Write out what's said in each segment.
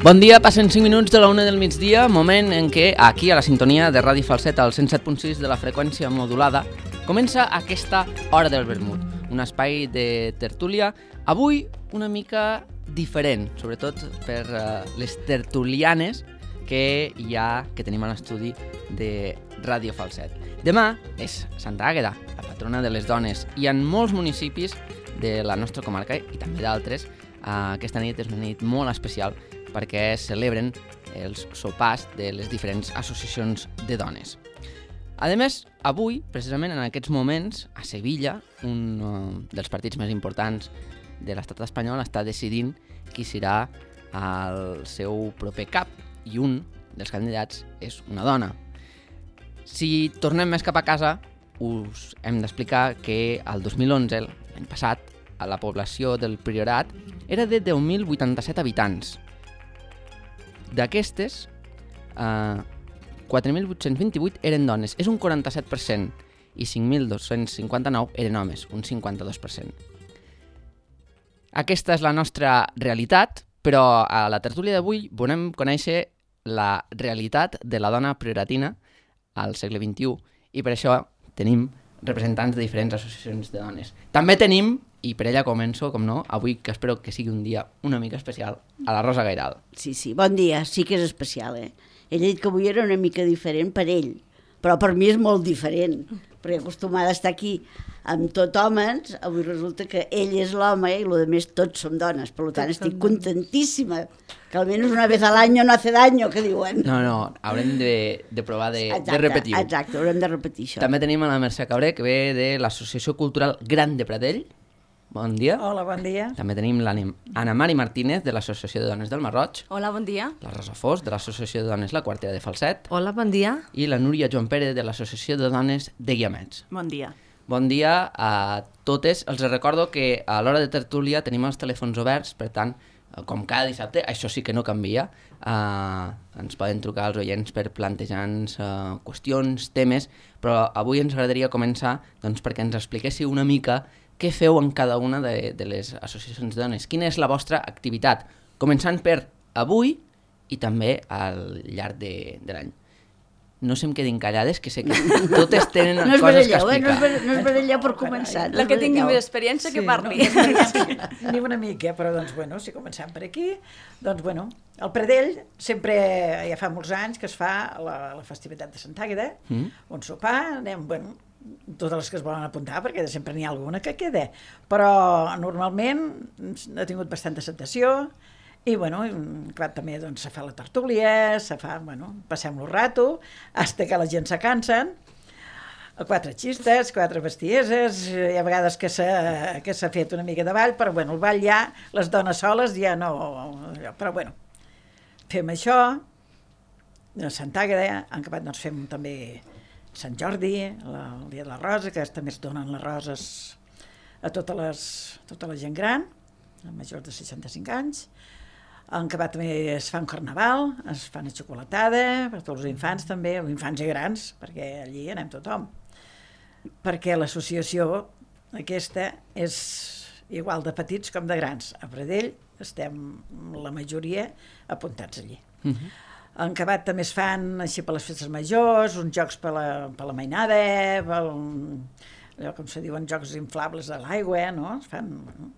Bon dia, passen 5 minuts de la 1 del migdia, moment en què aquí a la sintonia de Ràdio Falset al 107.6 de la freqüència modulada comença aquesta Hora del Vermut, un espai de tertúlia, avui una mica diferent, sobretot per les tertulianes que tenim a l'estudi de Ràdio Falset. Demà és Santa Àgueda, la patrona de les dones, i en molts municipis de la nostra comarca i també d'altres, aquesta nit és una nit molt especial perquè es celebren els sopars de les diferents associacions de dones. A més, avui, precisament en aquests moments, a Sevilla, un dels partits més importants de l'estat espanyol està decidint qui serà el seu proper cap, i un dels candidats és una dona. Si tornem més cap a casa, us hem d'explicar que el 2011, l'any passat, a la població del Priorat era de 10.087 habitants. D'aquestes, 4.828 eren dones, és un 47%, i 5.259 eren homes, un 52%. Aquesta és la nostra realitat, però a la tertúlia d'avui volem conèixer la realitat de la dona prioratina al segle XXI, i per això tenim representants de diferents associacions de dones. També tenim, i per ella començo, com no, avui que espero que sigui un dia una mica especial, a la Rosa Gairal. Sí, bon dia, sí que és especial, eh? Ell ha dit que avui era una mica diferent per ell, però per mi és molt diferent, perquè acostumada a estar aquí amb tot homes, avui resulta que ell és l'home i el més tots som dones, per tant estic contentíssima, que almenys una vez al año no hace daño, que diuen. No, haurem de provar de repetir-ho. Exacte, haurem de repetir això. També tenim a la Mercè Cabré, que ve de l'Associació Cultural Gran de Pradell. Bon dia. Hola, bon dia. També tenim l'Anna Mari Martínez, de l'Associació de Dones del Marroig. Hola, bon dia. La Rosa Fos, de l'Associació de Dones La Quartera de Falset. Hola, bon dia. I la Núria Joan Pérez, de l'Associació de Dones de Guiamets. Bon dia. Bon dia a totes. Els recordo que a l'hora de tertúlia tenim els telèfons oberts, per tant, com cada dissabte, això sí que no canvia. Ens poden trucar els oients per plantejar-nos qüestions, temes, però avui ens agradaria començar perquè ens expliquéssiu una mica què feu en cada una de les associacions de dones. Quina és la vostra activitat? Començant per avui i també al llarg de l'any. No se em quedin callades, que sé que totes tenen coses que explicar. No es baralleu per començar. La que tingui més experiència que parli. Ni una mica, però si comencem per aquí, el Pradell sempre, ja fa molts anys que es fa la festivitat de Santa Àgueda, un sopar, anem, totes les que es volen apuntar, perquè sempre n'hi ha alguna que queda, però normalment ha tingut bastanta acceptació, i també se fa la tertúlia, passem-lo rato, fins que la gent se cansen, 4 xistes, 4 bestieses, hi ha vegades que s'ha fet una mica de ball, però el ball ja, les dones soles ja no, però fem això, a Santa Àgueda, en acabat fem també Sant Jordi, el dia de la rosa, que també es donen les roses a tota la gent gran, a majors de 65 anys. En acabat també es fa un carnaval, es fa una xocolatada, per tots els infants també, els infants i grans, perquè allí anem tothom. Perquè l'associació aquesta és igual de petits com de grans. A Pradell estem la majoria apuntats allí. En acabat també es fan, així per les festes majors, uns jocs per la mainada, allò com se diuen, jocs inflables de l'aigua, no? Es fan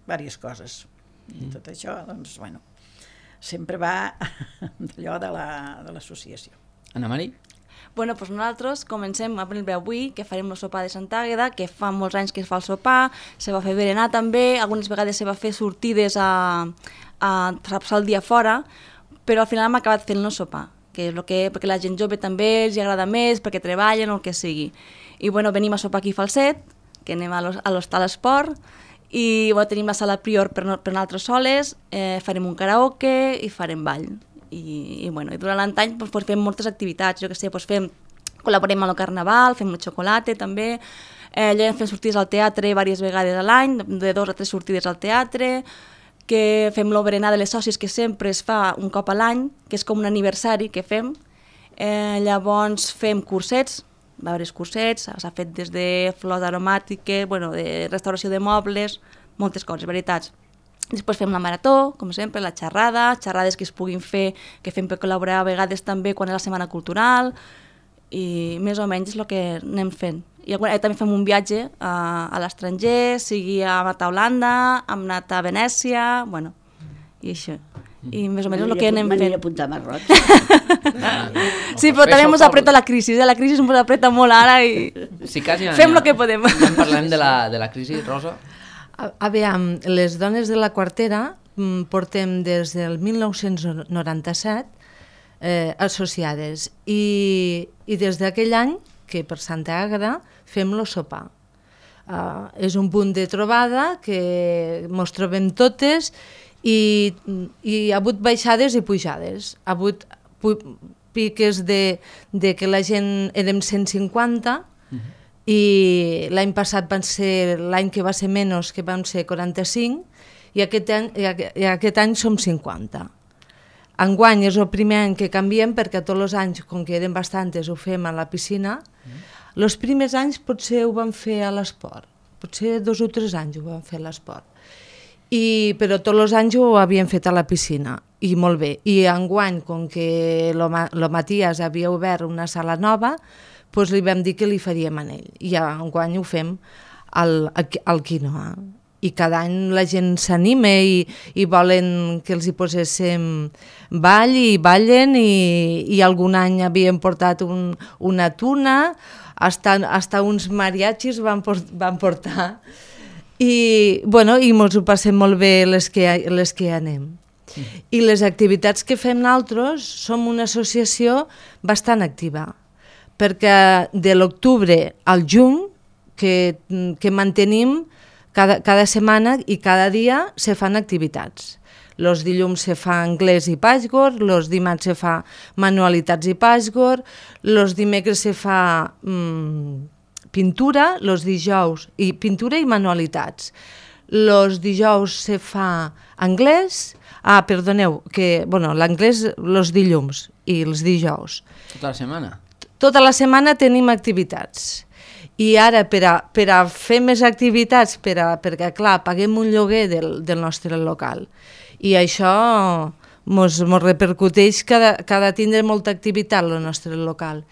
diverses coses. I tot això, sempre va d'allò de l'associació. Anna Mari? Nosaltres comencem a prendre avui, que farem el sopar de Santa Àgueda, que fa molts anys que es fa el sopar, se va fer berenar també, algunes vegades se va fer sortides a passar el dia fora, però al final hem acabat fent el sopar, que és perquè la gent jove també els agrada més, perquè treballen o el que sigui. I venim a sopar aquí a Falset, que anem a l'Hostal Esport, i tenim la sala Prior per nosaltres soles, farem un karaoke i farem ball. I durant l'any fem moltes activitats, col·laborem amb el carnaval, fem el xocolata també, fem sortides al teatre diverses vegades a l'any, de 2 a 3 sortides al teatre, que fem l'oberenar de les sòcies, que sempre es fa un cop a l'any, que és com un aniversari que fem. Llavors fem cursets, diversos cursets, s'ha fet des de flors aromàtiques, de restauració de mobles, moltes coses, veritats. Després fem la marató, com sempre, la xerrada, xerrades que es puguin fer, que fem per col·laborar a vegades també quan és la setmana cultural, i més o menys és el que anem fent. I també fem un viatge a l'estranger, sigui hem anat a Holanda, hem anat a Venècia, bueno, i això. I més o menys és el que anem fent. M'aniré a apuntar a Marroc. Sí, però també ens apreta la crisi, la crisi ens apreta molt ara i fem el que podem. Ja parlem de la crisi, Rosa. Aviam, les dones de la quartera portem des del 1997 associades i des d'aquell any que per Santa Àgueda fem el sopar. És un punt de trobada que ens trobem totes i hi ha hagut baixades i pujades. Ha hagut piques de que la gent érem 150 i l'any passat van ser l'any que va ser menys, que van ser 45 i aquest any som 50. Enguany és el primer any que canviem perquè tots els anys, com que eren bastantes, ho fem a la piscina. Els primers anys potser ho vam fer a l'esport, potser 2 o 3 anys ho vam fer a l'esport, però tots els anys ho havíem fet a la piscina i molt bé. I enguany, com que el Matías havia obert una sala nova, doncs li vam dir que li faríem en ell. I enguany ho fem al quinoa. I cada any la gent s'anima i volen que els hi poséssim ball i ballen i algun any havíem portat una tuna, hasta uns mariachis van portar i mos ho passem molt bé les que anem. I les activitats que fem nosaltres som una associació bastant activa, perquè de l'octubre al juny que mantenim cada setmana i cada dia se fan activitats. Els dilluns se fa anglès i pàsgor, els dimarts se fa manualitats i pàsgor, els dimecres se fa pintura, els dijous i pintura i manualitats. Els dijous se fa anglès, l'anglès els dilluns i els dijous. Tota la setmana? Tota la setmana tenim activitats. I ara, per a fer més activitats, perquè, clar, paguem un lloguer del nostre local. I això ens repercuteix que ha de tindre molta activitat el nostre local.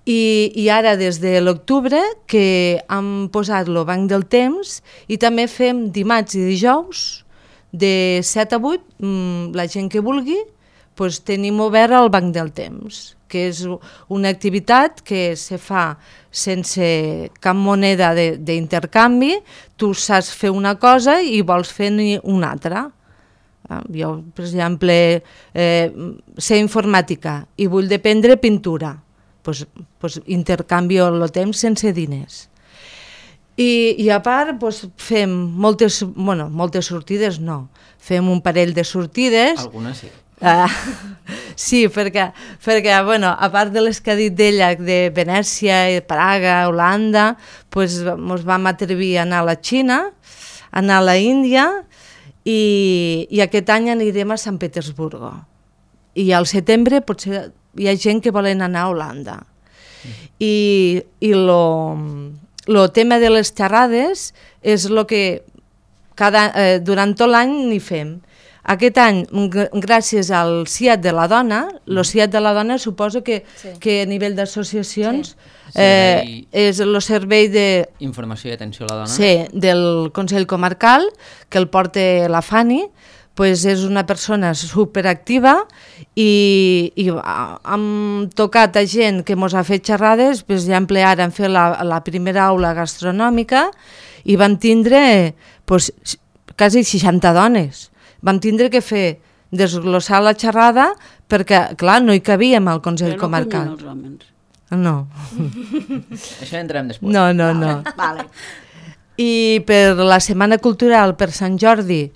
I ara, des de l'octubre, que hem posat el banc del temps i també fem dimarts i dijous, de 7 a 8, la gent que vulgui, tenim obert el banc del temps, que és una activitat que se fa sense cap moneda d'intercanvi. Tu saps fer una cosa i vols fer una altra. Jo, per exemple, sé informàtica i vull aprendre pintura, intercanvio el temps sense diners. I a part fem moltes sortides, no, fem un parell de sortides. Algunes sí. Sí, perquè a part de les que ha dit d'ella, de Venècia, Praga, Holanda, ens vam atrevir a anar a la Xina, a anar a la Índia i aquest any anirem a Sant Petersburgo. I al setembre potser hi ha gent que volen anar a Holanda. I el tema de les xerrades és el que durant tot l'any n'hi fem. Aquest any, gràcies al CIAT de la dona, el CIAT de la dona suposo que a nivell d'associacions és el servei d'informació i atenció a la dona. Sí, del Consell Comarcal, que el porta la Fanny, és una persona superactiva i hem tocat a gent que ens ha fet xerrades. Per exemple, ara hem fet la primera aula gastronòmica i vam tindre quasi 60 dones. Vam tindre que fer desglossar la xerrada perquè, clar, no hi cabíem al Consell Comarcal. Però no cunyen els homes. No. Això entrem després. No. Vale. I per la Setmana Cultural, per Sant Jordi,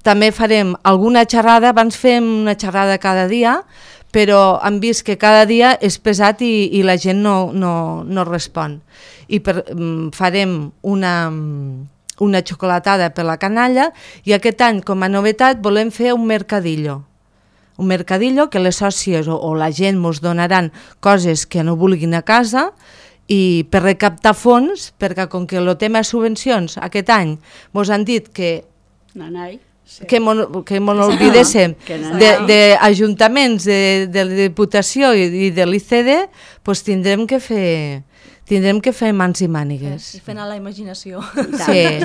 també farem alguna xerrada. Abans fem una xerrada cada dia, però hem vist que cada dia és pesat i la gent no respon. I farem una xocolatada per la canalla i aquest any, com a novetat, volem fer un mercadillo. Un mercadillo que les sòcies o la gent ens donaran coses que no vulguin a casa i per recaptar fons, perquè com que el tema de subvencions aquest any mos han dit que mon olvidéssim d'ajuntaments, de la Diputació i de l'ICD, doncs tindrem que fer mans i mànigues. I fent a la imaginació. Sí.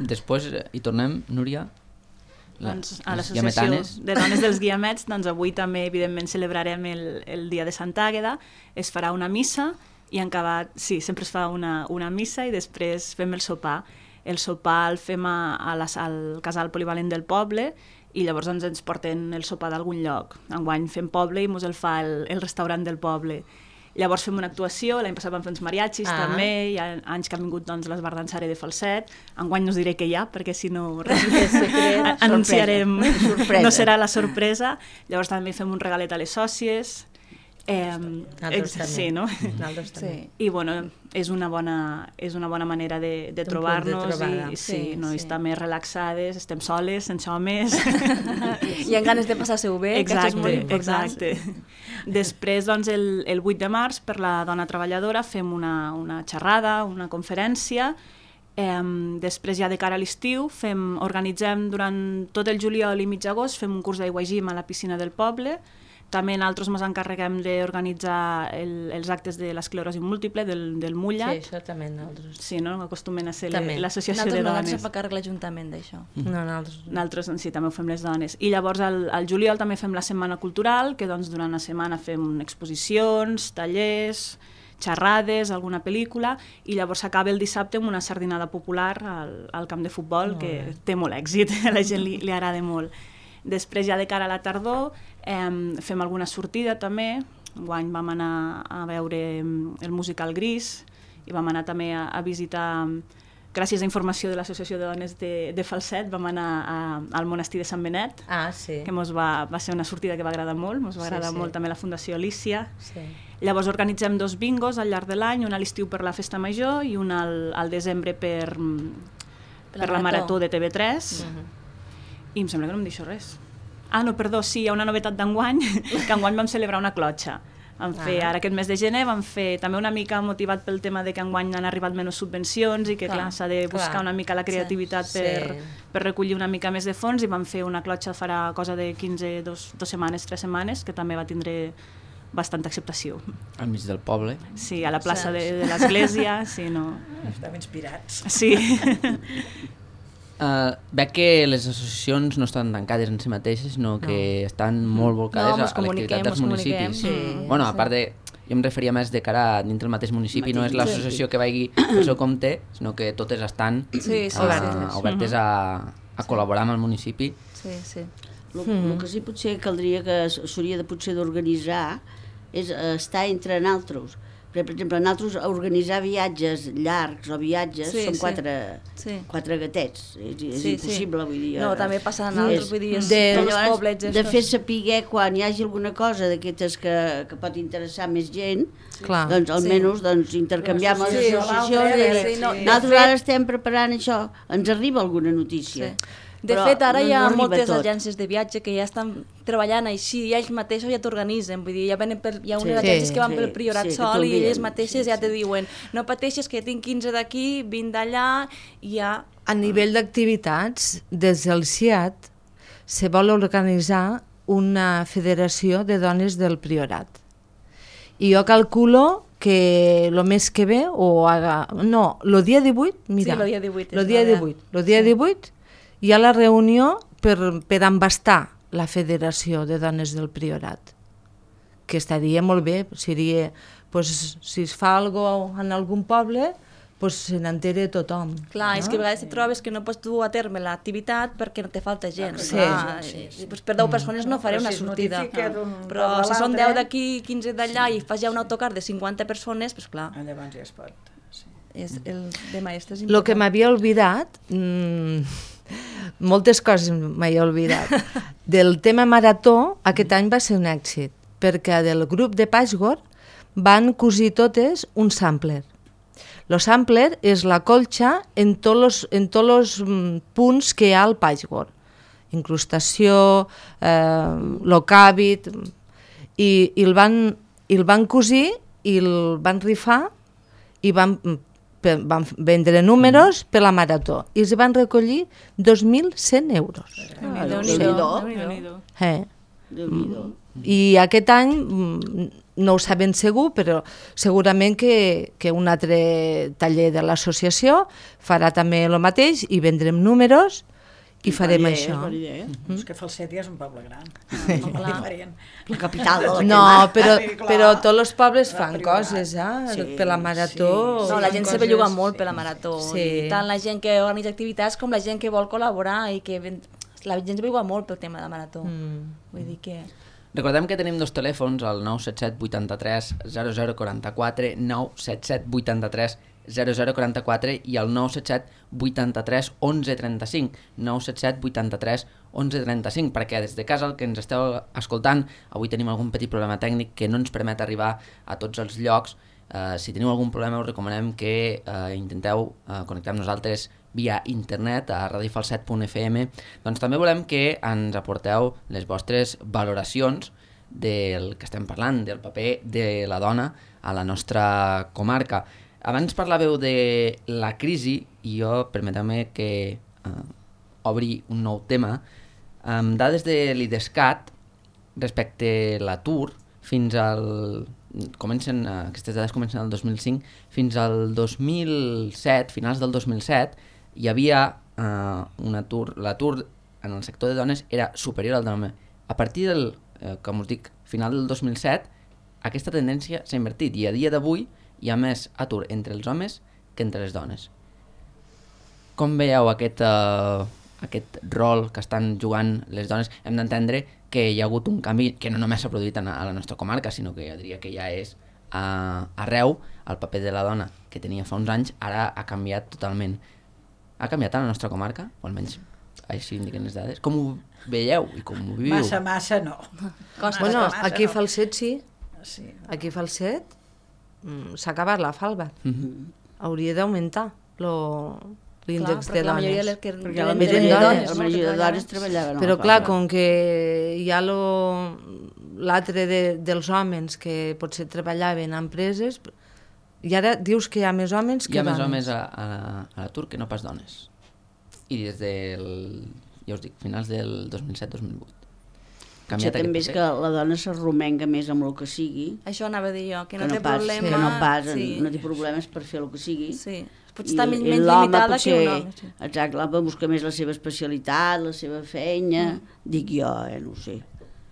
Després hi tornem, Núria? Doncs a l'Associació de Dones dels Guiamets, doncs avui també evidentment celebrarem el dia de Santa Àgueda, es farà una missa i en acabat, sí, sempre es fa una missa i després fem el sopar. El sopar el fem al casal polivalent del poble i llavors ens porten el sopar d'algun lloc. Enguany fem poble i mos el fa el restaurant del poble. Llavors fem una actuació, l'any passat vam fer uns mariachis també, hi ha anys que han vingut doncs, l'esbardansare de Falset, enguany no us diré què hi ha, perquè si no anunciarem, no serà la sorpresa. Llavors també fem un regalet a les sòcies. Sí, no? Sí. I bueno, és una bona manera de trobar-nos i estar més relaxades, estem soles, sense homes. I amb ganes de passar-se-ho bé, que això és molt important. Exacte. Després, doncs, el 8 de març, per la dona treballadora, fem una xerrada, una conferència. Després, ja de cara a l'estiu, organitzem durant tot el juliol i mig agost, fem un curs d'aigua i gim a la piscina del poble. També nosaltres ens encarreguem d'organitzar els actes de l'esclerosi múltiple, del Mulla. Sí, això també nosaltres. Sí, no? Acostumen a ser l'associació de dones. Nosaltres no ens fa càrrec l'Ajuntament d'això. Nosaltres sí, també ho fem les dones. I llavors al juliol també fem la Setmana Cultural, que doncs durant la setmana fem exposicions, tallers, xerrades, alguna pel·lícula, i llavors s'acaba el dissabte amb una sardinada popular al camp de futbol, que té molt èxit, a la gent li agrada molt. Després, ja de cara a la tardor, fem alguna sortida també. Enguany vam anar a veure el musical Gris i vam anar també a visitar, gràcies a informació de l'Associació de Dones de Falset, vam anar al monestir de Sant Benet, que va ser una sortida que va agradar molt, ens va agradar molt també la Fundació Alícia. Llavors organitzem 2 bingos al llarg de l'any, un a l'estiu per la Festa Major i un al desembre per la Marató de TV3. I em sembla que no em deixo res. No, perdó, sí, hi ha una novetat d'enguany, que enguany vam celebrar una clotxa. Ara aquest mes de gener vam fer també una mica motivat pel tema de que enguany han arribat menys subvencions i que clar, s'ha de buscar una mica la creativitat per recollir una mica més de fons, i vam fer una clotxa farà cosa de 2 setmanes, 3 setmanes, que també va tindre bastanta acceptació. Al mig del poble. Sí, a la plaça de l'església. Sí, no. Estàvem inspirats. Sí. Veig que les associacions no estan tancades en si mateixes, sinó que estan molt volcades a l'activitat dels municipis. Bueno, a part de... Jo em referia més de cara a dintre el mateix municipi, no és l'associació que vagi pel seu compte, sinó que totes estan obertes a col·laborar amb el municipi. El que sí potser caldria que s'hauria potser d'organitzar és estar entre nosaltres. Per exemple, nosaltres organitzar viatges llargs o viatges són 4 gatets, és impossible, vull dir. No, també passa en altres, vull dir, tots els poblets. De fer saber quan hi hagi alguna cosa d'aquestes que pot interessar més gent, doncs almenys intercanviar amb les associacions. Nosaltres ara estem preparant això, ens arriba alguna notícia. De fet, ara hi ha moltes agències de viatge que ja estan treballant així, i ells mateixos ja t'organitzen, vull dir, hi ha unes agències que van pel Priorat sol i elles mateixes ja te diuen no pateixis que tinc 15 d'aquí, 20 d'allà, i ja... A nivell d'activitats, des del CIAT se vol organitzar una federació de dones del Priorat. I jo calculo que el mes que ve, el dia 18, mira, el dia 18 hi ha la reunió per embastar la Federació de Dones del Priorat, que estaria molt bé, seria, si es fa alguna cosa en algun poble, se n'entera tothom. Clar, és que a vegades et trobes que no pots dur a terme l'activitat perquè no te falta gent. Per 10 persones no faré una sortida, però si són 10 d'aquí, 15 d'allà i fas ja un autocar de 50 persones, doncs clar. Llavors ja es pot. El de maestres important. El que m'havia oblidat... Moltes coses m'he oblidat. Del tema marató, aquest any va ser un èxit, perquè del grup de Patchwork van cosir totes un sampler. El sampler és la colxa en tots els punts que hi ha al Patchwork. Incrustació, l'ocàbit, i el van cosir i el van rifar i van vendre números per la marató i es van recollir 2.100 euros. Déu-n'hi-do. Déu-n'hi-do. I aquest any no ho sabem segur, però segurament que un altre taller de l'associació farà també el mateix i vendrem números i farem això. És que Falset ja és un poble gran. Molt diferent. La capital de la No, clar. però tots els pobles fan priorat. coses, Sí, per la marató. No, la gent se belluga molt per la marató. Sí. I tant la gent que organitza activitats com la gent que vol col·laborar i que la gent se belluga molt pel tema de la marató. Vull dir que... Recordem que tenim dos telèfons, el 977 83 0044, 977 83 0044 i el 977 83 1135, 977 83 1135, perquè des de casa el que ens esteu escoltant, avui tenim algun petit problema tècnic que no ens permet arribar a tots els llocs. Si teniu algun problema us recomanem que intenteu connectar amb nosaltres via internet a radiofalset.fm. Doncs també volem que ens aporteu les vostres valoracions del que estem parlant, del paper de la dona a la nostra comarca. Abans parlàveu de la crisi i jo permeteu-me que obri un nou tema. Dades de l'IDESCAT respecte a l'atur fins al... aquestes dades comencen el 2005, fins al 2007, finals del 2007, hi havia un atur, l'atur en el sector de dones era superior al d'home. A partir del, com us dic, final del 2007, aquesta tendència s'ha invertit i a dia d'avui hi ha més atur entre els homes que entre les dones. Com veieu aquest rol que estan jugant les dones? Hem d'entendre que hi ha hagut un canvi que no només s'ha produït a la nostra comarca, sinó que jo diria que ja és arreu. El paper de la dona que tenia fa uns anys ara ha canviat totalment. Ha canviat a la nostra comarca? O almenys així indiquen les dades. Com ho veieu i com ho viviu? Massa no. Bueno, aquí a Falset sí. Sí. Aquí a Falset s'ha acabat la falva. Hauria d'augmentar l'índex de la majoria dones. Perquè la majoria de dones treballaven. Però clar, com que hi ha l'altre dels homes que potser treballaven a empreses, i ara dius que hi ha més homes que dones. Hi ha més homes a l'atur que no pas dones. I des del, ja us dic, finals del 2007-2008. Potser també és que la dona s'arromenga més amb el que sigui. Això anava a dir jo, que no té pas, problema. Que no pas, no té problemes per fer el que sigui. Sí, potser està menys limitada que un home. Sí. Exacte, l'home busca més la seva especialitat, la seva feina, dic jo, no ho sé.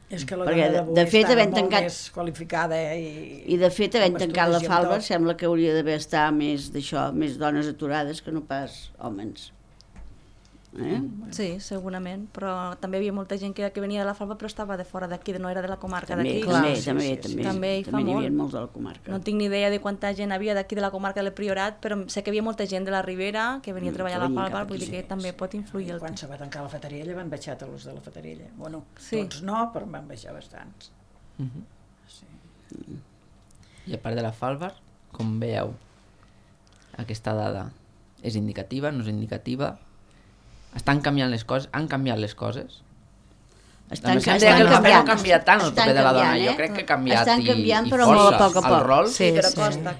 És que la Perquè dona d'avui està molt més qualificada. I de fet, havent tancat la falva, sembla que hauria d'haver estar més d'això, més dones aturades que no pas homes. Sí, segurament, però també hi havia molta gent que venia de la falva però estava de fora d'aquí, no era de la comarca d'aquí. També hi havia molts de la comarca. No tinc ni idea de quanta gent havia d'aquí de la comarca del Priorat, però sé que hi havia molta gent de la Ribera que venia a treballar a la falva, vull dir que també pot influir. Quan se va tancar la Fatarella van baixar tots els de la Fatarella. Bueno, tots no, però van baixar bastants. I a part de la falva, com veieu aquesta dada? És indicativa, no és indicativa? Estan canviant les coses? Han canviat les coses? Estan canviant. No ha canviat tant el paper de la dona. Jo crec que ha canviat estan canviant, i però molt a poc a poc. El rol. Sí, però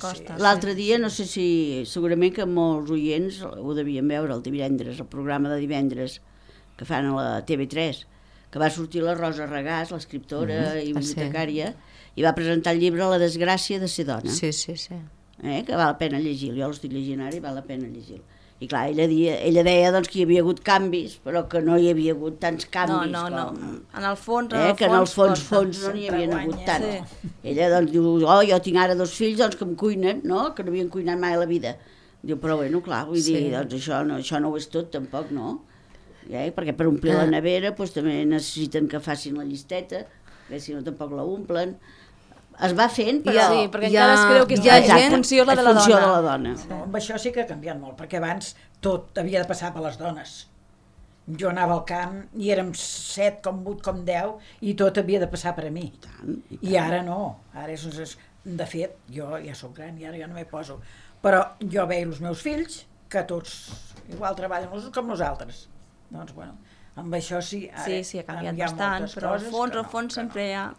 costa. L'altre dia, no sé si... Segurament que molts oients ho devien veure el divendres, el programa de divendres que fan a la TV3, que va sortir la Rosa Regàs, l'escriptora i bibliotecària, i va presentar el llibre La desgràcia de ser dona. Sí. Que val la pena llegir-lo. Jo l'estic llegint ara i val la pena llegir-lo. I clar, ella deia doncs, que hi havia hagut canvis, però que no hi havia hagut tants canvis. No. En el fons, que en el fons no n'hi havia hagut tant. Sí. Ella doncs diu, jo tinc ara 2 fills doncs, que em cuinen, no? Que no havien cuinat mai a la vida. Diu, però bueno, clar, vull dir, doncs això no ho és tot, tampoc, no? Perquè per omplir la nevera doncs, també necessiten que facin la llisteta, perquè si no tampoc la omplen. Es va fent, però... Sí, perquè encara es creu que és funció la de la dona. No, amb això sí que ha canviat molt, perquè abans tot havia de passar per les dones. Jo anava al camp i érem 7, com 8, com 10, i tot havia de passar per a mi. I ara no. Ara de fet, jo ja soc gran i ara ja no m'hi poso. Però jo veia els meus fills, que tots igual treballen com nosaltres. Doncs, bueno, amb això sí... Sí, ha canviat bastant, però al fons sempre hi ha...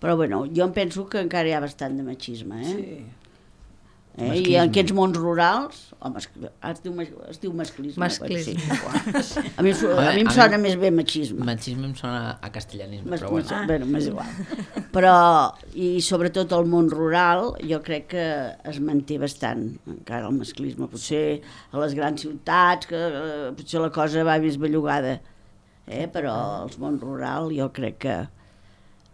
Però bueno, jo em penso que encara hi ha bastant de machisme, I en aquests mons rurals, home, es diu masclisme. Masclisme. Sí. A mi em sona més bé machisme. Machisme em sona a castellanisme, però bueno. Bueno, m'és igual. Però, i sobretot el món rural, jo crec que es manté bastant, encara el masclisme. Potser a les grans ciutats, que potser la cosa va més bellugada, però al món rural jo crec que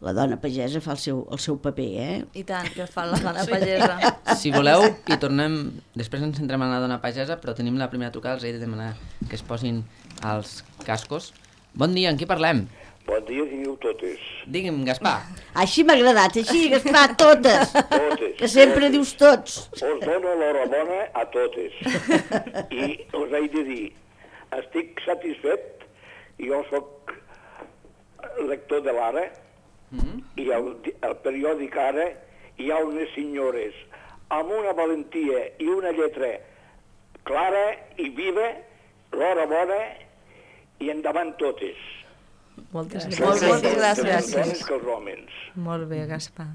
la dona pagesa fa el seu paper, I tant, que fa la dona pagesa. Si voleu, hi tornem... Després ens centrem en la dona pagesa, però tenim la primera trucada, els he de demanar que es posin els cascos. Bon dia, en qui parlem? Bon dia, digueu totes. Digui'm, Gaspar. Així m'ha agradat, així, Gaspar, totes. Totes. Que sempre dius tots. Us dono l'horabona a totes. I us he de dir, estic satisfet, jo sóc lector de l'Ara, i al periòdic Ara hi ha unes senyores amb una valentia i una lletra clara i viva, l'horabona, i endavant totes. Moltes Moltes gràcies. gràcies. Les dones que els homes. Molt bé, Gaspar.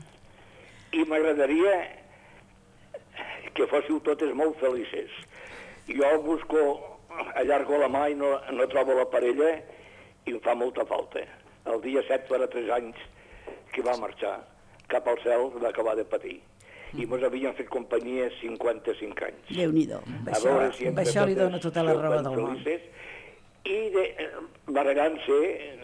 I m'agradaria que fóssiu totes molt felices. Jo busco, allargo la mà i no trobo la parella i em fa molta falta. El dia 7 farà 3 anys que va marxar cap al cel, va acabar de patir. I mos havien fet companyia 55 anys. Déu-n'hi-do. Amb això li dono tota la raó del món. I barregant-se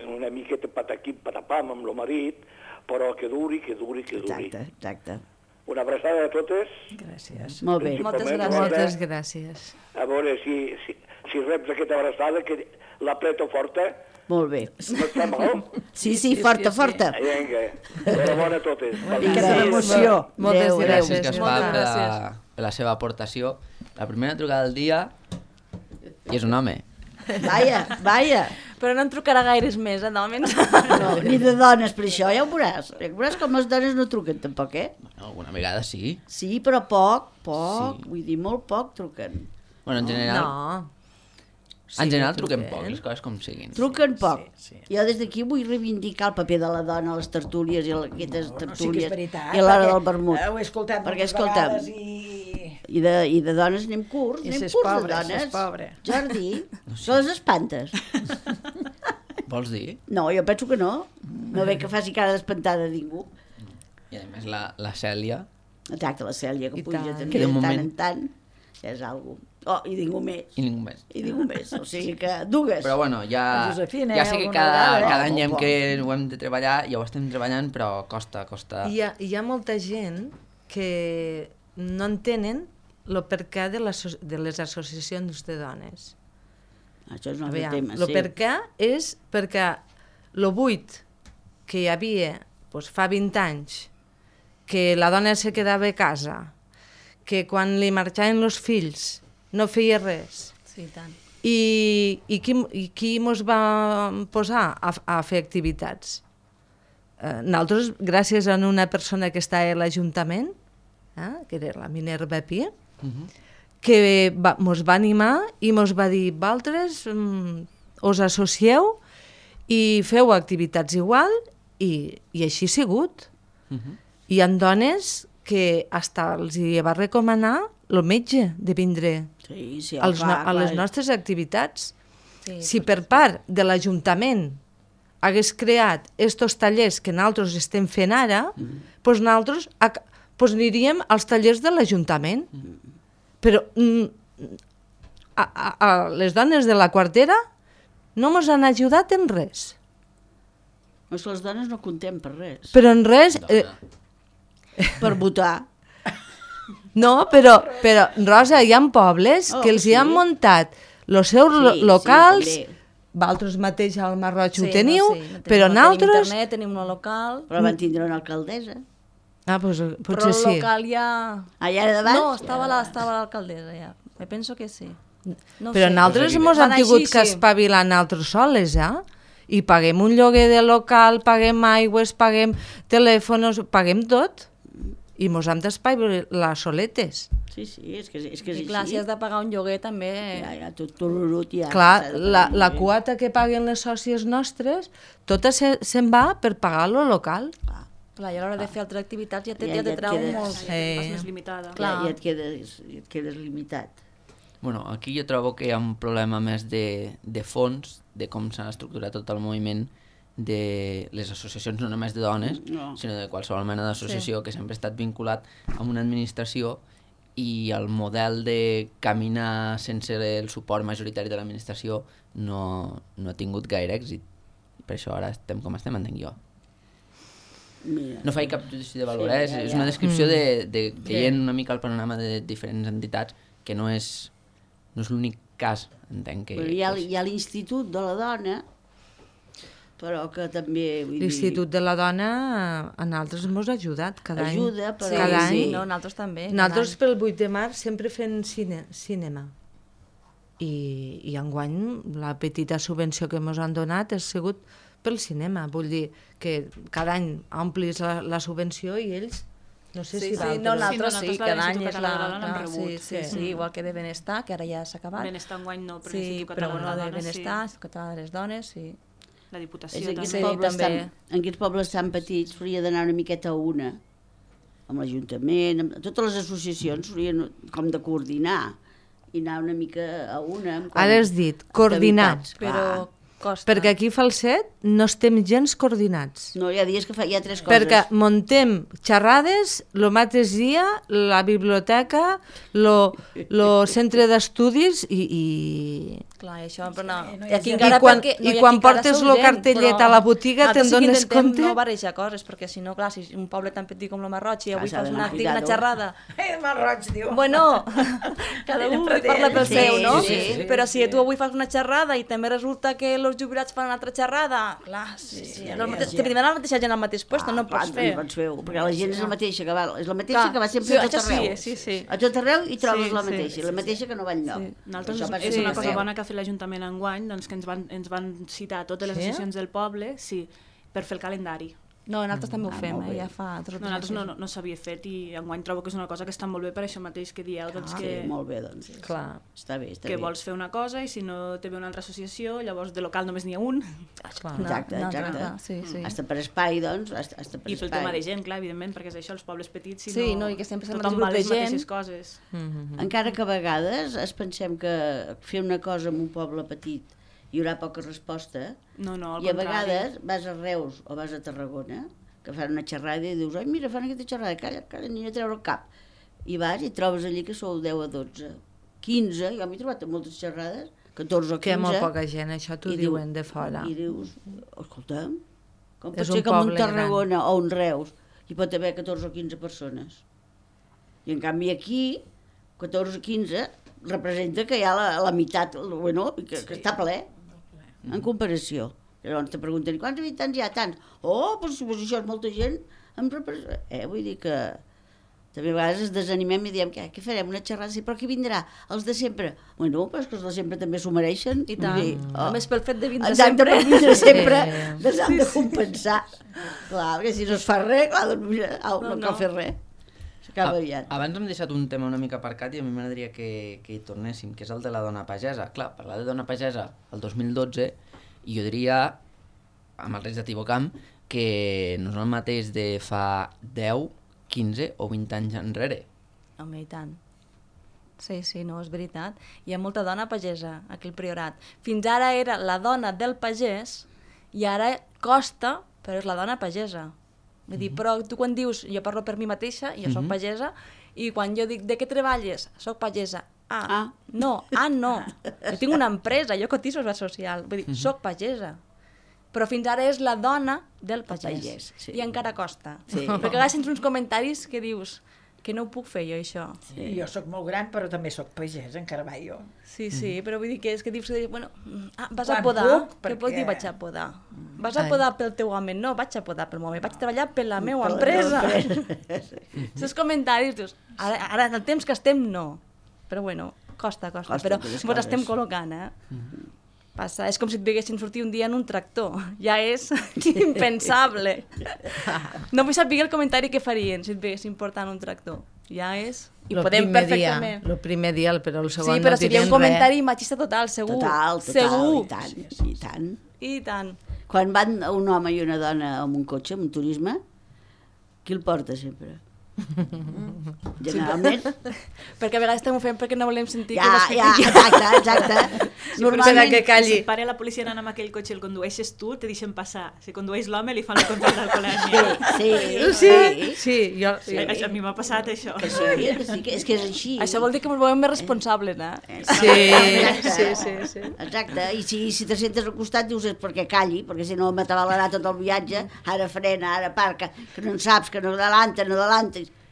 una miqueta pataquim, patapam amb el marit, però que duri. Exacte. Una abraçada a totes. Gràcies. Molt bé. Moltes Principalment, gràcies. Moltes gràcies. A veure si reps aquesta abraçada, que l'apreto forta. Molt bé. No està mal? Sí, forta. Vinga, enhorabona a totes. Una miqueta d'emoció. Moltes Adéu, Gràcies, gràcies. Gaspar, Moltes gràcies. per la seva aportació. La primera trucada del dia i és un home. Vaja. Però no en trucarà gaires més, d'hòmens. No, ni de dones per això, ja ho veuràs. Ja ho veuràs com les dones no truquen tampoc, Bueno, alguna vegada sí. Sí, però poc, Sí. vull dir, molt poc truquen. Bueno, en general, No. en general truquem truquen. poc, les coses com siguin. Truquen poc. Sí. Jo des d'aquí vull reivindicar el paper de la dona a les tertúlies i a aquestes Sí que tertúlies és veritat. i a l'hora perquè, del vermut. Ho he escoltat Perquè, moltes escolta'm, vegades I de dones anem curts, I anem ses curts pobre, de dones. ses pobre. Jordi, se les espantes? Vols dir? No, jo penso que no. No ve que faci cara d'espantada a ningú. I a més la Cèlia, Exacte, la Cèlia, que I puja tant. també Que de de tant moment- en tant. És algo. Oh, i ningú més. i ningú més. I ningú més. O sigui que dues. Però bueno, La Josefina, ja sé que alguna cada vegada, any Poc. que ho hem de treballar, ja ho estem treballant, però costa. Hi ha molta gent que no entenen el perquè de les associacions de dones. Això és un altre Aviam, tema, el sí. perquè és perquè el buit que hi havia doncs, fa 20 anys, que la dona se quedava a casa, que quan li marxaven els fills no feia res, Sí, i tant. i qui mos va posar a fer activitats? Nosaltres, gràcies a una persona que està a l'Ajuntament, que era la Minerva Pi, que mos va animar i mos va dir, vosaltres us associeu i feu activitats igual, i així ha sigut. Hi ha dones que hasta els hi va recomanar el metge de vindre Sí, a les nostres activitats. Sí, Si per part de l'Ajuntament hagués creat estos tallers que nosaltres estem fent ara, doncs nosaltres aniríem als tallers de l'Ajuntament. Però a les dones de la quartera no ens han ajudat en res. És que les dones no contem per res. Però en res... Per votar. No, però Rosa, hi ha pobles que els hi han muntat els seus locals, Sí, vosaltres mateix al Marroig ho Sí, teniu, no, sí, però tenim nosaltres... internet, tenim un local, però van tindre una alcaldessa. Ah, doncs però potser el sí. local ja... Allà davant? No, estava l'alcaldessa ja. Me penso que sí. No Però sé. nosaltres ens hem tingut que espavilar nosaltres soles, I paguem un lloguer de local, paguem aigües, paguem telèfons, paguem tot. I ens hem d'espavilar soletes. Sí, és que és I clar, si has de pagar un lloguer també... Ja, tot tururut ja. Clar, la quota que paguen les sòcies nostres, tota se'n va per pagar lo local. Clar, i a l'hora de fer altres activitats ja te Ja et trau quedes- molt. És més limitada. Clar. Ja et quedes limitat. Bueno, aquí jo trobo que hi ha un problema més de fons, de com s'ha estructurat tot el moviment de les associacions, no només de dones, sinó de qualsevol mena d'associació que sempre ha estat vinculat amb una administració, i el model de caminar sense el suport majoritari de l'administració no ha tingut gaire èxit. Per això ara estem com estem, entenc jo. Mira. No faig cap judici de valor, és una descripció de veient una mica el panorama de diferents entitats, que no és l'únic cas, entenc que... Però hi ha l'Institut de la Dona, però que també... L'Institut de la Dona a nosaltres ens ha ajudat cada any. Ajuda, però... Cada any. Sí, no, nosaltres també. Nosaltres pel 8 de març sempre fem cinema. I enguany la petita subvenció que ens han donat ha sigut pel cinema. Vull dir que cada any omplis la subvenció i ells, no sé si Sí, d'altres. no, nosaltres Sí, sí, nosaltres cada de any l'Institut és Català la... de la Dona hem clar, rebut. Sí, igual que de Benestar, que ara ja s'ha acabat. Benestar enguany no, però Sí, l'Institut però Català de bueno, la de Dona Benestar, Institut Català de les Dones, sí. La Diputació És també. en aquests pobles tan petits s'hauria d'anar una miqueta a una, amb l'Ajuntament, amb totes les associacions s'haurien com de coordinar i anar una mica a una. Ara has dit, coordinar. activitats, Però clar. costa. Perquè aquí a Falset no estem gens coordinats. No, hi ha dies que hi ha tres coses. Perquè muntem xerrades, el mateix dia, la biblioteca, el centre d'estudis i... Clar, i això, però no. no hi I ha aquí gent. encara I quan- perquè i no hi ha quan aquí encara portes sou lo gent, cartellet però a la botiga nosaltres te'n sí que dones intentem compte? no barrejar coses, perquè si no, clar, si un poble tan petit com la Marroig i avui s'ha fas d'anar una cuidado. xerrada... Mal roig, diu. Bueno, cada un parla pel Sí, seu, no? sí, Però si tu avui fas una xerrada i també resulta que els jubilats fan una altra xerrada, clar, te vindran la mateixa gent al mateix lloc, no pots fer. No pots fer, perquè la gent és la mateixa que va, és la mateixa Clar, que va sempre sí, a tot això sí, arreu. sí. A tot arreu hi trobes Sí, la sí, mateixa, la mateixa que no va enlloc. Nosaltres Això passa és una tot cosa arreu. bona que ha fet l'Ajuntament enguany, doncs que ens van citar totes les Sí? associacions del poble, sí, per fer el calendari. No, nosaltres també ho fem, ja fa... No, nosaltres no s'havia fet i enguany trobo que és una cosa que està molt bé per això mateix que dieu, doncs Sí, que, molt bé, doncs. Clar. Està bé, està que bé. vols fer una cosa i si no té bé una altra associació, llavors de local només n'hi ha un. Exacte, exacte. Sí. Hasta per espai, doncs, hasta per I pel espai. tema de gent, clar, evidentment, perquè és això, els pobles petits, si Sí, no, no, i que sempre estem tothom en va el a grup les de gent. mateixes coses. Encara que a vegades es pensem que fer una cosa en un poble petit hi haurà poca resposta, No, al i a contrari. vegades vas a Reus o vas a Tarragona, que fan una xerrada i dius, ai, mira, fan aquesta xerrada, calla, ni a treure el cap. I vas i trobes allí que sou 10 a 12, 15, jo m'he trobat en moltes xerrades, 14 o 15. Que hi ha molt poca gent, això t'ho i diuen de fora. I dius, escolta, com pot És ser un que en un poble gran. Tarragona o un Reus hi pot haver 14 o 15 persones? I en canvi aquí, 14 o 15, representa que hi ha la meitat, bueno, que està ple, en comparació. Llavors te pregunten, quants habitants hi ha? Tants. Oh, doncs això és molta gent. Vull dir que també a vegades ens desanimem i diem, què farem, una xerrada? Sí, però qui vindrà? Els de sempre? Bueno, però és que els de sempre també s'ho mereixen. I tant. Vull dir, Només pel fet de vindre exacte, sempre. per vindre sempre, Sí. s'han de compensar. Clar, perquè si no es fa res, clar, doncs mira, no cal fer res. S'acaba aviat. Abans hem deixat un tema una mica aparcat i a mi m'agradaria que hi tornéssim, que és el de la dona pagesa. Clar, parlar de dona pagesa el 2012, i jo diria, amb el risc d'equivocar-me, que no és el mateix de fa 10, 15 o 20 anys enrere. Home, i tant. Sí, no, és veritat. Hi ha molta dona pagesa aquí al Priorat. Fins ara era la dona del pagès i ara costa, però és la dona pagesa. Vull dir, però tu quan dius, jo parlo per mi mateixa, jo soc pagesa, i quan jo dic, de què treballes? Soc pagesa. No. Jo tinc una empresa, jo cotizo a la social. Vull dir, soc pagesa. Però fins ara és la dona del pagès. Sí. I encara costa. Sí. Perquè a vegades sents uns comentaris que dius que no ho puc fer jo, això. Sí. Jo sóc molt gran, però també sóc pagès, encara va jo. Sí, però vull dir que és que dius, bueno, vas a Quan podar, puc, què perquè- pot dir vaig a podar? Vas a podar pel teu home? No, vaig a podar pel meu home, vaig treballar per la meva empresa. Els comentaris, dius, ara en el temps que estem, no. Però bueno, costa, Costa, però aquelles ens estem coses. col·locant, Passa, és com si et veiessin sortir un dia en un tractor. Ja és impensable. No vull saber el comentari que farien si et veiessin portant un tractor. Ja és... I Lo podem primer perfectament... Dia, el primer dia, però el segon Sí, però no seria un direm comentari machista total, segur. Total, Segur. i tant, i tant. I tant. Quan van un home i una dona amb un cotxe, amb un turisme, Qui el porta sempre? Generalment. Perquè a vegades també ho fem perquè no volem sentir que Exacte. Normalment que calli. Si pare la policia anant amb aquell cotxe i el condueixes tu, te deixen passar. Si condueix l'home, li fan la control d'alcoholèmia. Sí. A mi m'ha passat això. Sí, que és així. Això vol dir que ens volem més responsables, eh? Sí. Exacte, i si te sentes al costat dius és perquè calli, perquè si no m'atabalarà tot el viatge, ara frena, ara parca, que no en saps, que no adelanta,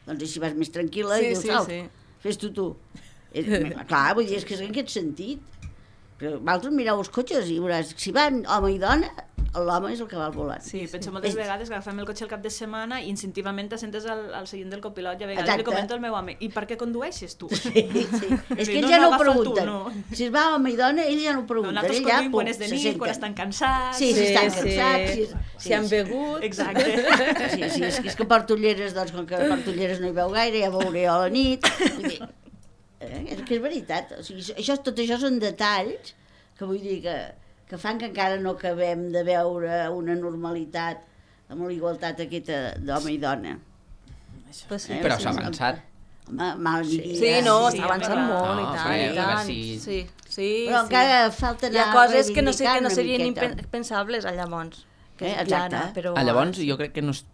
doncs així vas més tranquil·la i dius, fes-t'ho tu. Clar, vull dir, és que és en aquest sentit. Però vosaltres mireu els cotxes i veuràs, si van home i dona, l'home és el que va al volant. Sí, penso moltes vegades que agafem el cotxe el cap de setmana i instintivament t'assentes al seient del copilot i a vegades li comento al meu home, i per què condueixes tu? Sí. És que ells ja no ho pregunten. Si es va home i dona, ells ja no ho pregunten. Nosaltres conduïm quan és de nit, quan estan cansats. Sí, si estan cansats. Si han begut. Exacte. Sí, és que porto ulleres, doncs com que porto ulleres no hi veu gaire, ja veuré a la nit. És que és veritat. O sigui, tot això són detalls que vull dir que fan que encara no acabem de veure una normalitat amb la igualtat aquesta d'home i dona. Pues sí, però s'ha avançat. Sí, no, s'ha avançat molt i tant. Sí. Però encara falta anar hi ha coses que no reivindicant serien una miqueta. impensables llavors. Exacte. Llavors jo crec que no és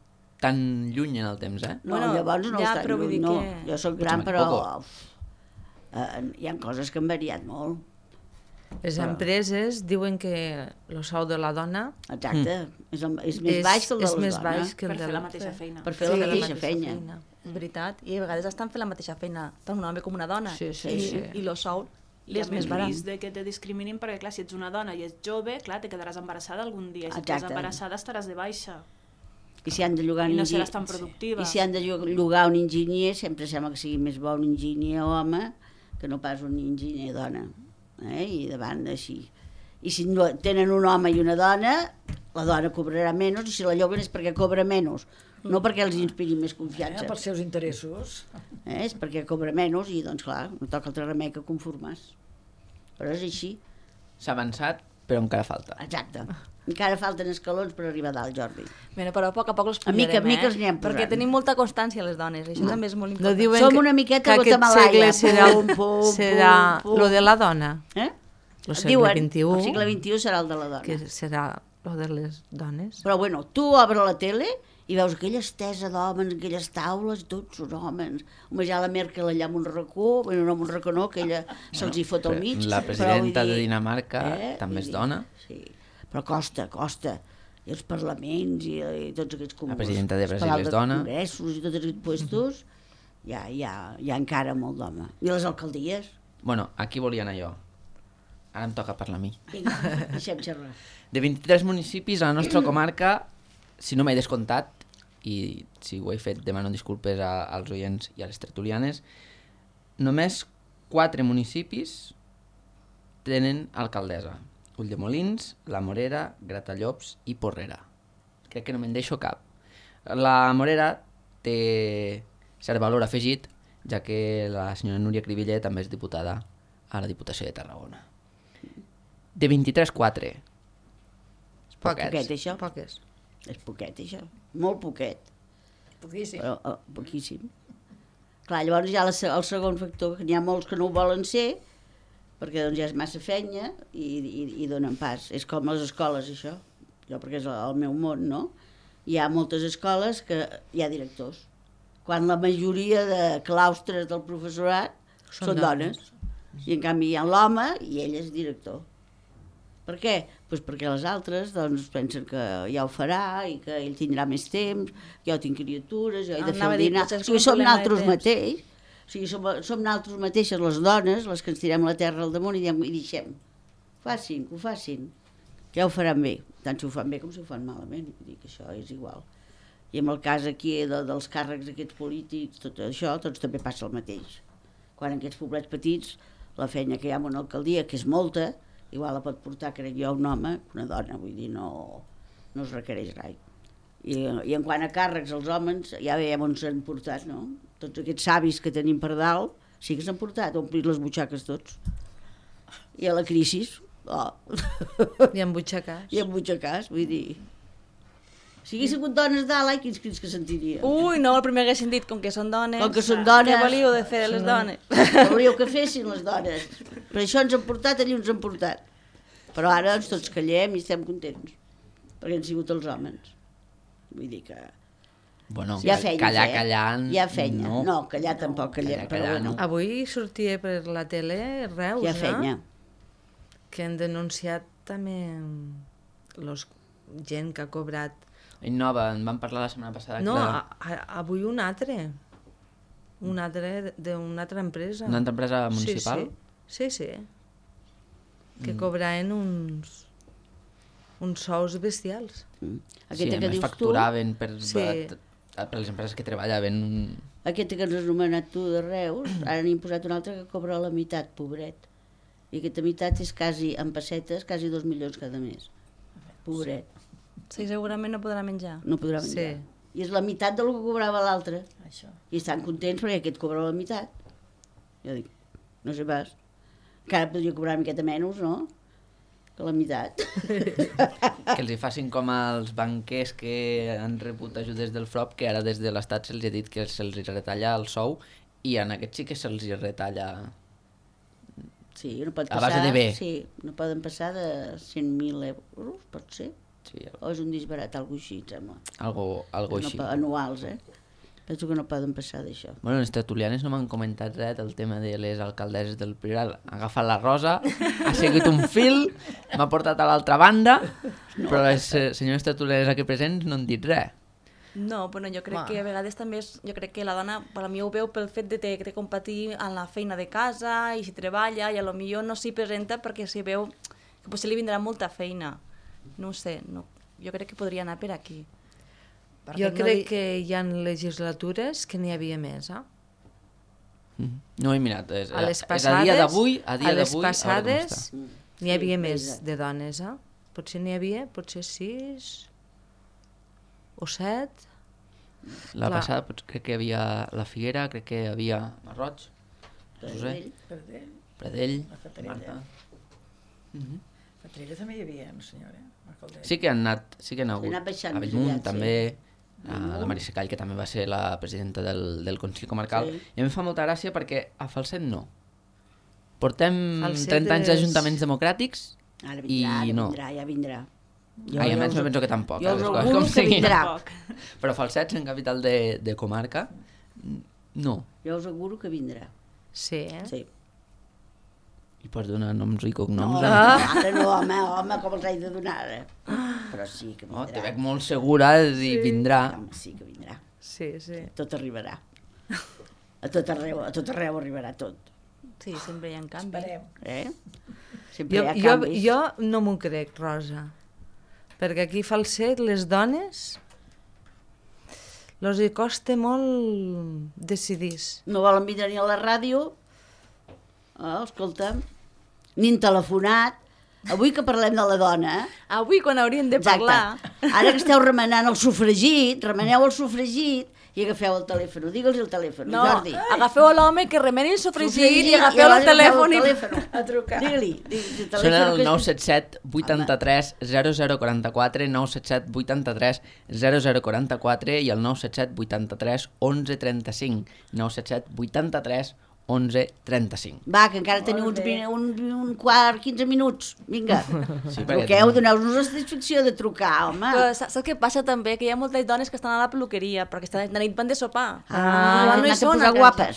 tan lluny en el temps, eh? No, llavors no és tan lluny, no. Jo soc gran, però hi ha coses que han variat molt. Les empreses diuen que el sou de la dona... Exacte, és més baix que el de les dones. És més baix que el per de fer la mateixa feina. Per fer la mateixa feina. És veritat, i a vegades estan fent la mateixa feina, tant un home com una dona. Sí. I el sou és més barat. I risc de que te discriminin perquè, clar, si ets una dona i ets jove, clar, te quedaràs embarassada algun dia. Si estàs embarassada estaràs de baixa. I si han de llogar I no seràs tan productiva. I si han de llogar un enginyer, sempre sembla que sigui més bo un enginyer home que no pas un enginyer dona. I davant així. I si no tenen un home i una dona, la dona cobrarà menys, i si la lloguen és perquè cobra menys, no perquè els inspiri més confiança. Pels seus interessos. És perquè cobra menys i, doncs clar, no toca altre remei que conformar-se. Però és així. S'ha avançat, però encara falta. Exacte. Encara falten escalons per arribar a dalt, Jordi. Però a poc els pujarem, a mica els anem posant. Perquè tenim molta constància les dones, això també és molt important. No diuen som una miqueta que aquest segle serà lo de la dona. El segle XXI. El segle XXI serà el de la dona. Que serà lo de les dones. Però bueno, tu obres la tele i veus aquella estesa d'homes, aquelles taules, tots són homes. Home, ja la Merkel allà amb un racó, bueno, no amb un racó no, que ella se'ls hi fot al mig. La presidenta de Dinamarca també és dona. Sí, però costa. I els parlaments i tots aquests comuns. La presidenta de Brasil és dona. Els congressos i tots aquests puestos, hi ha encara molt d'home. I les alcaldies. Bueno, aquí volia anar jo. Ara em toca parlar a mi. Vinga, deixem xerrar. De 23 municipis a la nostra comarca, si no m'he descomptat, i si ho he fet demano disculpes als oients i a les tertulianes, només 4 municipis tenen alcaldessa. Ulldemolins, La Morera, Gratallops i Porrera. Crec que no me'n deixo cap. La Morera té cert valor afegit, ja que la senyora Núria Cribiller també és diputada a la Diputació de Tarragona. De 23, 4. És poquet, això? Poques. És poquet, això. Molt poquet. Poquíssim. Però, poquíssim. Clar, llavors hi ha el segon factor, que n'hi ha molts que no ho volen ser, perquè doncs ja és massa feina i donen pas. És com les escoles, això. Jo, perquè és el meu món, no? Hi ha moltes escoles que hi ha directors. Quan la majoria de claustres del professorat són dones. I en canvi hi ha l'home i ell és director. Per què? Pues perquè les altres doncs, pensen que ja ho farà i que ell tindrà més temps, jo tinc criatures, jo he de fer el dinar. O sigui, som nosaltres mateix. O sigui, som nosaltres mateixes les dones, les que ens tirem la terra al damunt i deixem. Facin, que ho facin. Ja ho faran bé, tant si ho fan bé com si ho fan malament. Vull dir que això és igual. I en el cas aquí dels càrrecs aquests polítics, tot això, doncs també passa el mateix. Quan en aquests poblets petits, la feina que hi ha en una alcaldia, que és molta, igual la pot portar, crec jo, un home que una dona, vull dir, no es requereix rai. I en quant a càrrecs, els homes, ja veiem on s'han portat, no? Tots aquests savis que tenim per dalt, sí que s'han portat, omplit les butxaques tots. I a la crisi, I en butxacàs. I en butxacàs, vull dir... Si hagués sigut dones dalt, ai, quins crits que sentiria. Ui, no, el primer haguessin dit, com que són dones... Com que són dones... Què volíeu de fer les dones? Volíeu que fessin les dones. Per això ens han portat, allí ens han portat. Però ara doncs, tots callem i estem contents. Perquè han sigut els homes. Vull dir que... Bueno, hi ha feines, callant... Hi ha feina. No, callar tampoc callem. Callar, Però no. Avui sortia per la tele Reus, hi ha feina. que han denunciat també gent que ha cobrat... Innova, en vam parlar la setmana passada. No, que avui un altre d'una altra empresa. una altra empresa municipal? Sí. Que cobraven uns sous bestials. Sí, a més facturaven per les empreses que treballaven. Aquesta que ens has anomenat tu de Reus, ara n'hi posat una altra que cobra la meitat, pobret. I aquesta meitat és quasi, en pessetes, quasi 2 milions cada mes. Pobret. Sí, segurament no podrà menjar. No podrà menjar. Sí. I és la meitat del que cobrava l'altre. Això. I estan contents perquè aquest cobra la meitat. Jo dic, no sé pas. Encara podria cobrar una miqueta menys, no? Que la meitat. Que els hi facin com als banquers que han rebut ajudes del FROP, que ara des de l'Estat se'ls ha dit que se'ls retalla el sou, i en aquests sí que se'ls retalla... Sí, no pot a passar... base de bé. Sí, no poden passar de 100.000 euros, pot ser. Sí, O és un disbarat, alguna així, em sembla. algo així. Anuals, Penso que no poden passar d'això. Bueno, les tertulianes no m'han comentat res del tema de les alcaldesses del Priorat. Ha agafat la Rosa, ha seguit un fil, m'ha portat a l'altra banda, però les senyores tertulianes aquí presents no han dit res. No, però jo crec que a vegades també jo crec que la dona, per a mi ho veu pel fet de competir en la feina de casa i si treballa i a lo millor no s'hi presenta perquè s'hi veu que potser li vindrà molta feina. No ho sé, jo crec que podria anar per aquí. Jo crec que hi ha legislatures que n'hi havia més, No he mirat, és A les a dia d'avui, a les com passades està. n'hi havia més de dones, Potser n'hi havia, potser 6 o 7. La passada crec que hi havia la Figuera, crec que hi havia Marroig, Pradell, Marta. Fatrella també hi havia, no senyora? Sí que han anat hagut. anat baixant A més Bellmunt aviat, també, a la Marisa Call, que també va ser la presidenta del Consell Comarcal. Sí. I a mi em fa molta gràcia perquè a Falset no. Portem Falset 30 anys d'ajuntaments democràtics Ara i no. ja vindrà. A més me penso que tampoc. Jo us les coses auguro com que siguin. vindrà. Però Falset, en capital de comarca, no. Jo us auguro que vindrà. Sí, Sí. I pots donar noms i cognoms. No, ara no, home, com els haig de donar ara. Però sí que Oh, te vindrà. veig molt segura i vindrà. Home, sí que vindrà. sí. Tot arribarà. A tot arreu arribarà tot. Sí, sempre hi ha canvi. Esperem. Sempre hi ha Jo canvis. no m'ho crec, Rosa, perquè aquí a Falset les dones els hi costa molt decidir. No volen vindre ni a la ràdio. Escolta'm, ni en telefonat. Avui que parlem de la dona, Avui, quan hauríem de parlar... Ara que esteu remenant el sofregit, remeneu el sofregit i agafeu el telèfon. Digue'ls el telèfon, No, Jordi. agafeu l'home que remeni el sofregit i agafeu el telèfon i... A trucar. Digue-li. Són el 977 83 0044, 977 83 0044 i el 977 83 11 35, 977 83 11 35. Va, que encara teniu un quart, 15 minuts. Vinga, Sí, perquè truqueu, doneu-nos la satisfacció de trucar, home. Però saps què passa també? Que hi ha moltes dones que estan a la peluqueria perquè de nit van de sopar. Ah, no hi han anat a són posar a casa. guapes.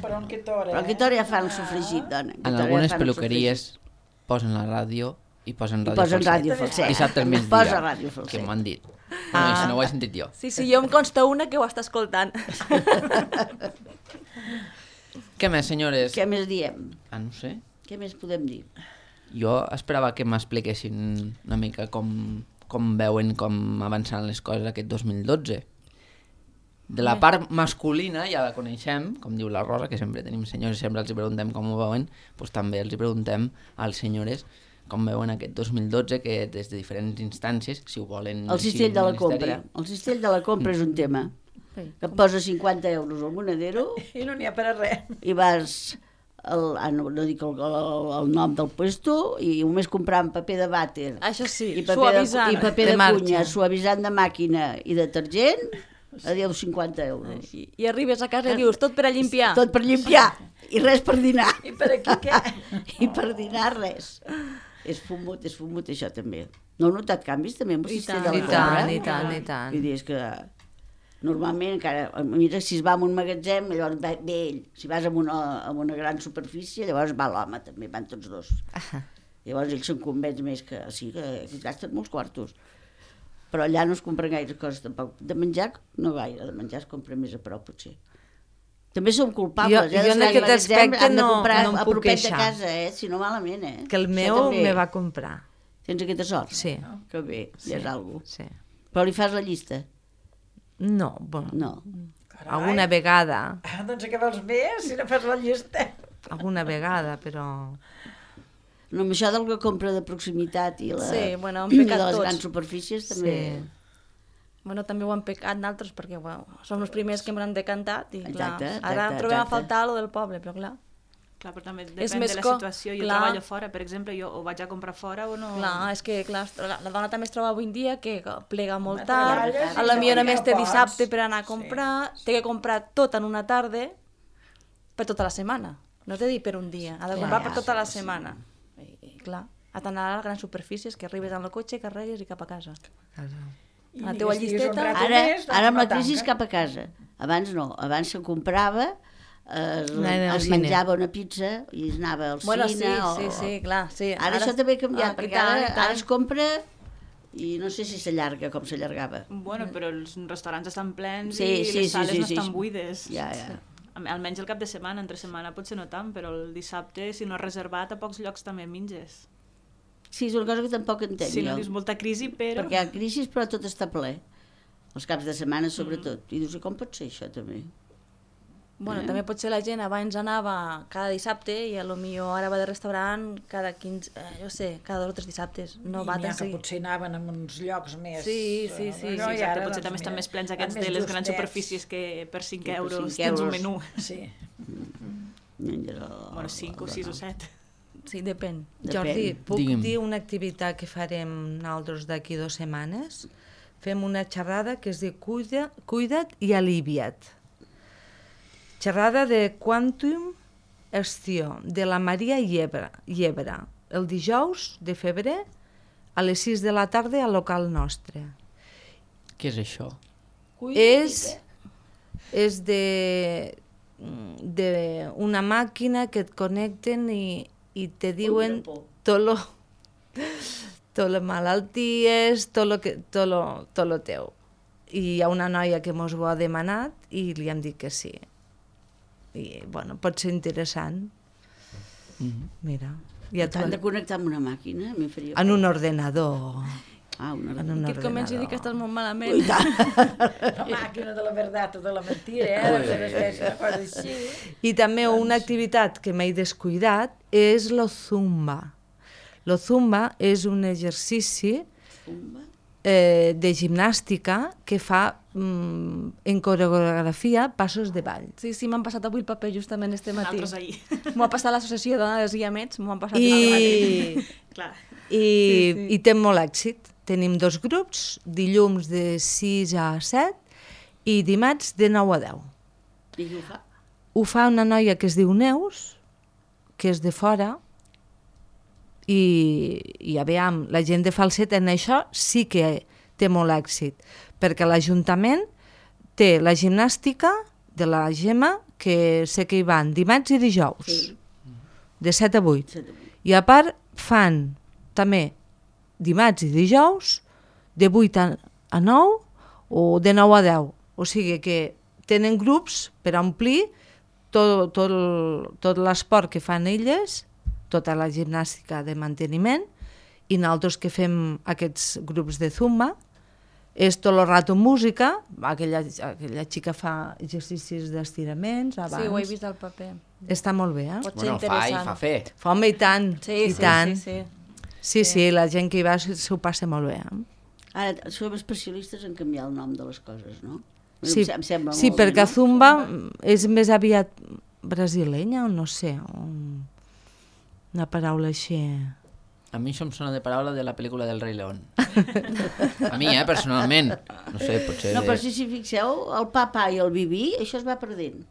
Però en quina hora? Però a aquesta hora ja fan el sofregit, dona. En algunes peluqueries posen la ràdio i posen ràdio posen Falset. ràdio Falset. Dissabte al migdia. Posa ràdio Falset. Que m'han dit. No, i si no ho he sentit jo. Sí, jo em consta una que ho està escoltant. Què més, senyores? Què més diem? Ah, no sé. Què més podem dir? Jo esperava que m'expliquessin una mica com veuen com avançaran les coses aquest 2012. De la part masculina, ja la coneixem, com diu la Rosa, que sempre tenim senyors i sempre els preguntem com ho veuen, doncs també els preguntem als senyores com veuen aquest 2012, que des de diferents instàncies, si ho volen... El cistell de la compra. El cistell de la compra és un tema. Que et posa 50 euros al monedero I no n'hi ha per a res. i vas no dic el nom del puesto, i només compràvem paper de vàter. Això sí, I paper suavitzant. I paper De de marxa. cunya, suavitzant de màquina i detergent, adéu 50 euros. I arribes a casa i dius, tot per a limpiar. Tot per limpiar, i res per dinar. I per aquí què? I per dinar res. És fumut això també. No heu notat canvis també amb el sistema de la compra? I tant. Vull dir, és que normalment encara, mira, si es va a un magatzem, llavors ve ell. Si vas a una gran superfície, llavors va l'home, també van tots dos. Llavors ell se'n convenç més que sí, que es gasten molts quartos. Però allà no es compren gaire coses tampoc. De menjar, no gaire, de menjar es compra més a prop, potser. També som culpables, Jo en aquest aspecte han de comprar no em a puc propet de queixar. casa, si no malament, Que el meu me va comprar. Tens aquesta sort? Sí. Que bé, ja és alguna cosa. Sí. Però li fas la llista? No, bueno, No. alguna vegada, Doncs què vols més, si no fas la llista? però... No, amb això del que compra de proximitat i Sí, bueno, hem i pecat de les tots. grans superfícies també... Sí. Bueno, també ho han pecat d'altres perquè som els primers que hem decantat i clar, Exacte, ara exacte, trobem a exacte. faltar lo del poble, però clar. Clar, però també És depèn més de la co- situació. Jo clar. treballo fora, per exemple, jo o vaig a comprar fora o no... Clar, és que clar, la dona també es troba avui en dia que plega molt Home, tard, treballes i a la millor no només té pots. dissabte per anar a comprar, té que comprar tot en una tarda per tota la setmana. No t'he dit per un dia, ha de comprar per tota la setmana. I clar, ha d'anar a les grans superfícies, que arribes amb el cotxe, carregues i cap a casa. I La ni teua que estiguis un llisteta- rato Ara, més, doncs ara amb no la crisi tanca. cap a casa. Abans no, abans se comprava, Anava al es cine. menjava una pizza i es anava al Bueno, cine. sí, clar, sí. Ara això també ha canviat, i perquè tant, i ara tant. es compra i no sé si s'allarga com s'allargava. Bueno, però els restaurants estan plens Sí, i sí, les sí, sales sí, no sí. estan buides. Ja. Almenys el cap de setmana, entre setmana potser no tant, però el dissabte, si no has reservat, a pocs llocs també menges. Sí, és una cosa que tampoc entenc Si no jo. dius molta crisi, però... Perquè hi ha crisi, però tot està ple. Els caps de setmana, sobretot. I dius, i com pot ser això, també? Bueno, també potser la gent abans anava cada dissabte i a lo millor ara va de restaurant cada 15, jo sé, cada 2 o 3 dissabtes. No I va n'hi ha tan que seguit. potser anaven en uns llocs més... Sí, sí, sí. Sí, i exacte, ara, potser doncs, també estan mira, més plens van aquests més de les grans justets. superfícies que per 5 per euros 5 tens un euros. menú. Sí. Bueno, 5 o 6 o 7. Sí, depèn. Jordi, puc Digue'm. dir una activitat que farem nosaltres d'aquí 2 setmanes? Fem una xerrada que es diu Cuida't i alivia't. Xerrada de Quantum Estiu, de la Maria Llebre, el dijous de febrer a les 6 de la tarda al local nostre. Què és això? És de una màquina que et connecten i te diuen tot les malalties, tot lo teu. I hi ha una noia que mos ho ha demanat i li hem dit que sí. I, bueno, pot ser interessant. Mira, ja T'han de connectar amb una màquina, a mi em faria... en un ordenador. Una En un Que et comenci a dir que estàs molt malament. La màquina de la veritat o de la mentira, de fer espècie de cosa així. I també una activitat que m'he descuidat és lo zumba. Lo zumba és un exercici de gimnàstica que fa en coreografia passos de ball. Sí, m'han passat avui el paper justament este matí. Nosaltres ahir. M'ho ha passat l'associació de les guiamets, m'ho han passat Clar. I té molt èxit. Tenim 2 grups, dilluns de 6 a 7 i dimarts de 9 a 10. I ho fa? Ho fa una noia que es diu Neus, que és de fora, i aviam, la gent de Falset en això sí que té molt èxit, perquè l'Ajuntament té la gimnàstica de la Gemma, que sé que hi van dimarts i dijous, Sí. de 7 a 8. I a part fan també dimarts i dijous de 8 a 9 o de 9 a 10. O sigui que tenen grups per omplir tot l'esport que fan elles, tota la gimnàstica de manteniment, i nosaltres que fem aquests grups de zumba, és tot el rato música, aquella xica fa exercicis d'estiraments abans. Sí, ho he vist al paper. Està molt bé, eh? Pot ser Bueno, fa i interessant. fa fer. Fa, home, i tant, Sí, i sí, tant. sí. Sí, la gent que hi va s'ho passa molt bé. Ara, som especialistes en canviar el nom de les coses, no? Sí, Em sembla sí molt perquè bé, no? Zumba és més aviat brasilenya o no sé, una paraula així. A mi això em sona de paraula de la pel·lícula del Rei León. A mi, personalment. No sé, potser... No, però si fixeu, el pa i el vi, això es va perdent.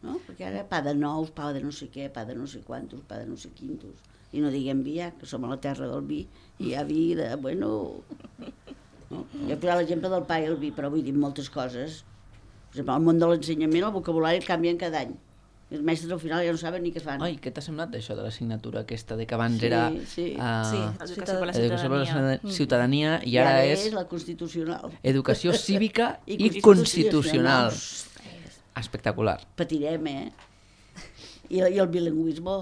No? Perquè ara pa de nous, pa de no sé què, pa de no sé quantos, pa de no sé quintos. I no diguem vi, que som a la terra del vi, i hi ha vi de, bueno... No? Jo he posat l'exemple del pa i el vi, però vull dir moltes coses. Per exemple, al món de l'ensenyament el vocabulari canvien cada any. I els mestres al final ja no saben ni què fan. Ai, què t'ha semblat això de l'assignatura aquesta de que abans era... Sí. Educació per la Educació per la ciutadania i I ara és la constitucional. educació cívica i constitucional. constitucional. Espectacular. Patirem, I el bilingüisme,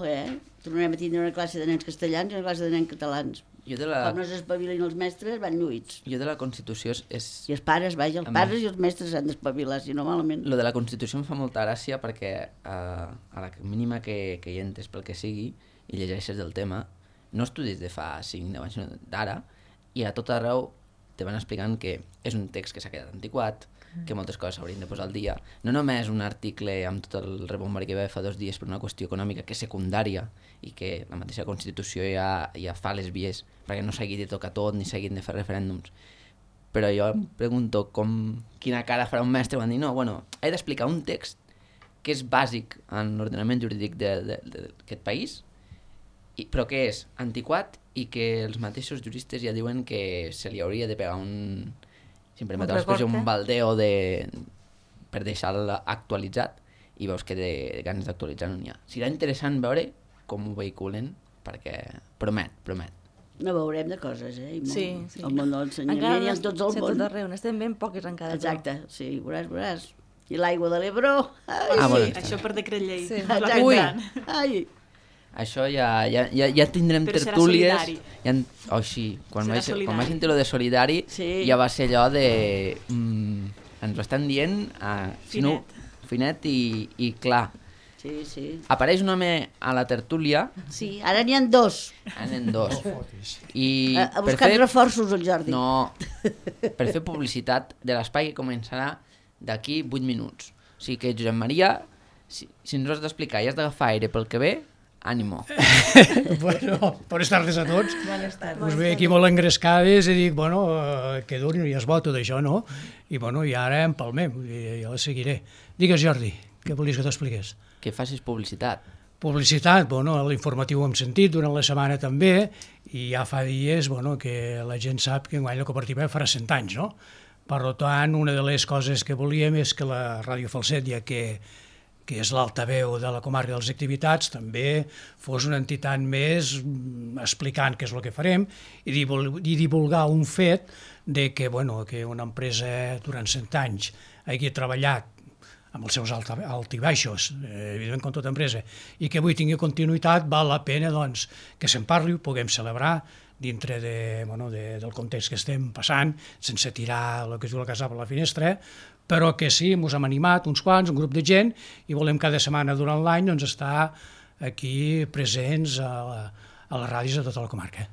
Tornarem a tindre una classe de nens castellans i una classe de nens catalans. Com no s'espavilen els mestres, van lluïts. Jo de la Constitució és... I els pares, vaja, els pares i els mestres s'han d'espavilar, si no malament. Lo de la Constitució em fa molta gràcia perquè a la mínima que hi entres pel que sigui i llegeixes del tema, no estudis de fa 5-10 anys, sinó d'ara, i a tot arreu te van explicant que és un text que s'ha quedat antiquat, que moltes coses s'haurien de posar al dia. No només un article amb tot el rebombari que va fa 2 dies per una qüestió econòmica que és secundària i que la mateixa Constitució ja fa les vies perquè no s'hagi de tocar tot ni s'hagin de fer referèndums. Però jo em pregunto quina cara farà un mestre quan dir no, bueno, he d'explicar un text que és bàsic en l'ordenament jurídic d'aquest país, però que és antiquat i que els mateixos juristes ja diuen que se li hauria de pegar si em permeteu l'expressió, un baldeo per deixar-lo actualitzat i veus que de ganes d'actualitzar no n'hi ha. Serà interessant veure com ho vehiculen perquè promet. No veurem de coses, I molt. Sí. El món de l'ensenyament i en tots el món. Tot arreu, n'estem ben poques encara. Exacte, sí, veuràs. I l'aigua de l'Ebre... Bueno, això per decret llei. Sí. Exacte. Ai. Això ja tindrem però tertúlies. Sí, quan vaig sentir lo de solidari ja va ser allò de... ens ho estan dient finet i clar. Sí. Apareix un home a la tertúlia. Sí, ara n'hi ha 2. I ha buscat reforços el Jordi. No, per fer publicitat de l'espai que començarà d'aquí 8 minuts. O sigui que, Josep Maria, si ens ho has d'explicar i has d'agafar aire pel que ve, ànimo. Bueno, bones tardes a tots. Bones tardes. Us veig aquí molt engrescades i dic, bueno, que duri, ja es bo tot això, no? I bueno, i ara empalmem, jo la seguiré. Digues, Jordi, què volies que t'expliqués? Que facis publicitat. Publicitat, bueno, l'informatiu hem sentit durant la setmana també, i ja fa dies, bueno, que la gent sap que enguany la cooperativa farà 100 anys, no? Per tant, una de les coses que volíem és que la Ràdio Falset, ja que és l'altaveu de la comarca de les activitats, també fos una entitat més explicant què és el que farem i divulgar un fet de que, bueno, que una empresa durant 100 anys hagi treballat amb els seus alt i baixos, evidentment com tota empresa, i que avui tingui continuïtat, val la pena doncs, que se'n parli, ho puguem celebrar dintre del context que estem passant, sense tirar el que es diu la casa per la finestra, però que sí, ens hem animat uns quants, un grup de gent, i volem cada setmana durant l'any doncs, estar aquí presents a les ràdios de tota la comarca.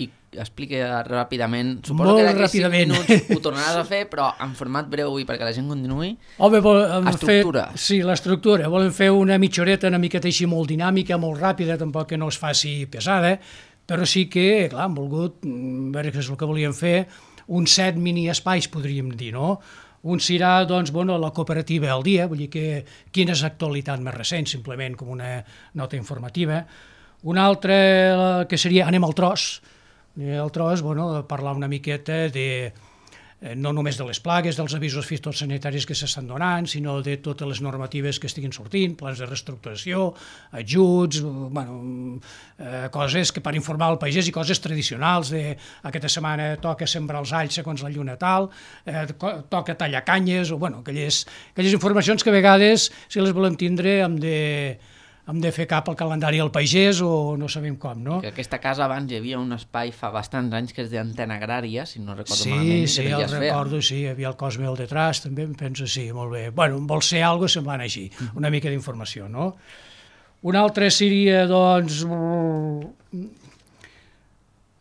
I explica ràpidament, suposo que d'aquí 5 minuts ho tornaràs a fer, però en format breu i perquè la gent continuï. Estructura. Sí, l'estructura. Volem fer una mitja horeta, una miqueta així molt dinàmica, molt ràpida, tampoc que no es faci pesada, però sí que, clar, hem volgut veure què és el que volíem fer, uns 7 mini-espais, podríem dir, no? Un serà, doncs, bueno, la cooperativa al dia, vull dir que quina és l'actualitat més recent, simplement com una nota informativa. Un altre que seria anem al tros. El tros, bueno, parlar una miqueta de no només de les plagues, dels avisos fitosanitaris que s'estan donant, sinó de totes les normatives que estiguin sortint, plans de reestructuració, ajuts, bueno, coses que per informar el pagès i coses tradicionals, de aquesta setmana toca sembrar els alls segons la lluna tal, toca tallar canyes, o bueno, aquelles informacions que a vegades, si les volem tindre, hem de fer cap al calendari del pagès o no sabem com, no? Que aquesta casa abans hi havia un espai fa bastants anys que és d'antena agrària, si no recordo malament. Sí, el recordo, sí, hi havia el Cosme al detrás, també em penso, sí, molt bé. Bueno, vol ser algo semblant així, una mica d'informació, no? Un altre seria, doncs...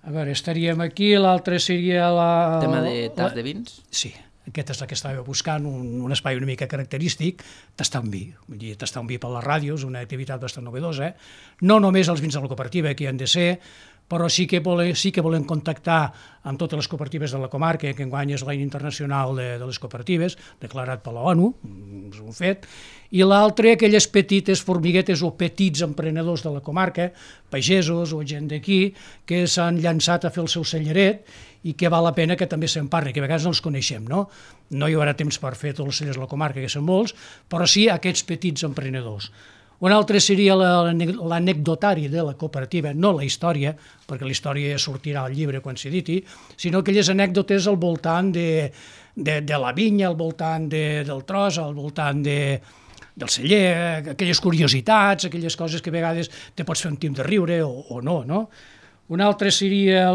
A veure, estaríem aquí, l'altre seria la... Tema de tas de vins? Sí, aquesta és la que estava buscant, un espai una mica característic, tastar un vi. Vull dir, tastar un vi per la ràdio és una activitat bastant novedosa. No només els vins de la cooperativa, que hi han de ser, però sí que volem contactar amb totes les cooperatives de la comarca, que enguany és l'any internacional de les cooperatives, declarat per la ONU, és un fet, i l'altre, aquelles petites formiguetes o petits emprenedors de la comarca, pagesos o gent d'aquí, que s'han llançat a fer el seu celleret i que val la pena que també se'n parli, que a vegades no els coneixem, no? No hi haurà temps per fer tots els cellers de la comarca, que són molts, però sí aquests petits emprenedors. Un altre seria l'anecdotari de la cooperativa, no la història, perquè la història sortirà al llibre quan s'editi, sinó aquelles anècdotes al voltant de la vinya, al voltant del tros, al voltant del celler, aquelles curiositats, aquelles coses que a vegades te pots fer un tim de riure o no, no? Un altre seria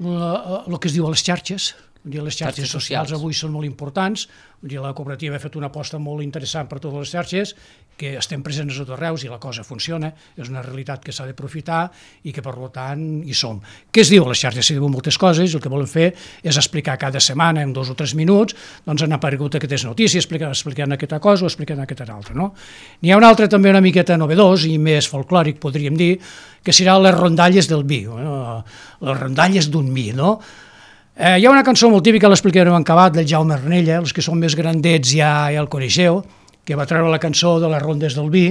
el que es diu a les xarxes. Les xarxes socials avui són molt importants. La cooperativa ha fet una aposta molt interessant per totes les xarxes, que estem presents a tot arreu i la cosa funciona, és una realitat que s'ha d'aprofitar i que per tant hi som. Què es diu a les xarxes? S'hi diuen moltes coses i el que volem fer és explicar cada setmana en 2 o 3 minuts, doncs han aparegut aquestes notícies explicant aquesta cosa o explicant aquesta altra. N'hi ha un altre també una miqueta novedós i més folclòric, podríem dir, que serà les rondalles del vi, les rondalles d'un vi, no? Hi ha una cançó molt típica, l'explicarem en acabat, del Jaume Arnella, els que són més grandets ja el coneixeu, que va treure la cançó de les rondes del vi,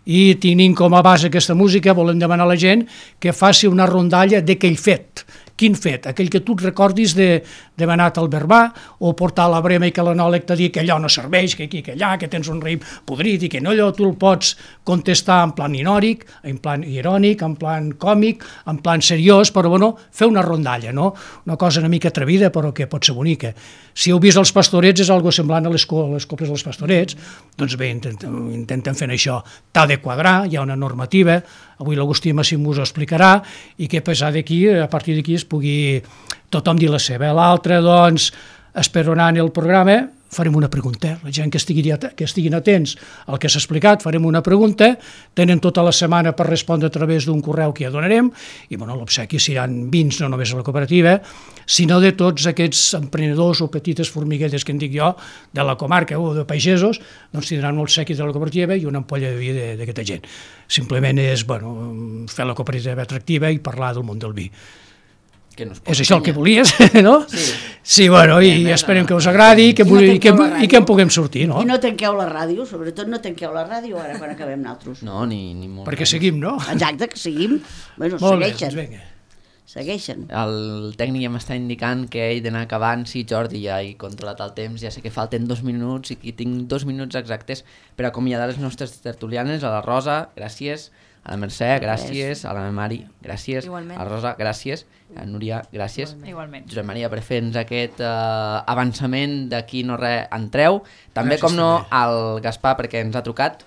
i tenint com a base aquesta música volem demanar a la gent que faci una rondalla d'aquell fet. Quin fet? Aquell que tu et recordis d'haver anat al Verbà o portar la brema i que l'anòleg t'ha dit que allò no serveix, que aquí, que allà, que tens un raïm podrit i que no, allò tu el pots contestar en plan irònic, en plan irònic, en plan còmic, en plan seriós, però bueno, fer una rondalla, no? Una cosa una mica atrevida però que pot ser bonica. Si heu vist els Pastorets és algo semblant a les coples dels Pastorets, doncs bé, intenten fer això. T'ha de quadrar, hi ha una normativa, avui l'Agustí Massim us ho explicarà, i que a partir d'aquí es pugui tothom dir la seva. L'altre, doncs, esperonant el programa, farem una pregunta. La gent que estiguin atents al que s'ha explicat, farem una pregunta, tenen tota la setmana per respondre a través d'un correu que ja donarem, i l'obsequi seran vins no només a la cooperativa, sinó de tots aquests emprenedors o petites formiguetes que en dic jo, de la comarca o de pagesos, doncs tindran un obsequi de la cooperativa i una ampolla de vi d'aquesta gent. Simplement és fer la cooperativa atractiva i parlar del món del vi. És això el que volies, no? Sí, i esperem que us agradi i que en puguem sortir, no? I no tanqueu la ràdio, sobretot no tanqueu la ràdio ara quan acabem nosaltres. No, ni molt. Perquè seguim, no? Exacte, que seguim. Segueixen. El tècnic ja m'està indicant que he d'anar acabant. Sí, Jordi, ja he controlat el temps, ja sé que falten 2 minuts i tinc 2 minuts exactes per acomiadar les nostres tertulianes. A la Rosa, gràcies. A la Mercè, gràcies. A la Mari, gràcies. Igualment. A la Rosa, gràcies. A Núria, gràcies. Igualment. Josep Maria, per fer-nos aquest avançament d'aquí no res entreu. També, com no, al Gaspar, perquè ens ha trucat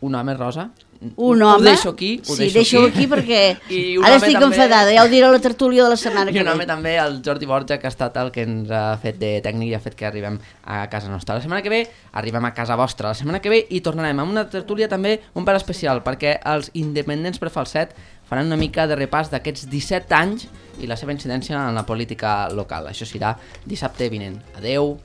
un home, Rosa. Un home? Ho deixo aquí. Sí, deixo-ho aquí perquè ara estic enfadada, ja ho diré a la tertúlia de la setmana que ve. I un home també, el Jordi Borja, que ha estat el que ens ha fet de tècnic i ha fet que arribem a casa nostra. La setmana que ve arribem a casa vostra. La setmana que ve i tornarem amb una tertúlia també un pèl especial, perquè els independents per falset faran una mica de repàs d'aquests 17 anys i la seva incidència en la política local. Això serà dissabte vinent. Adeu.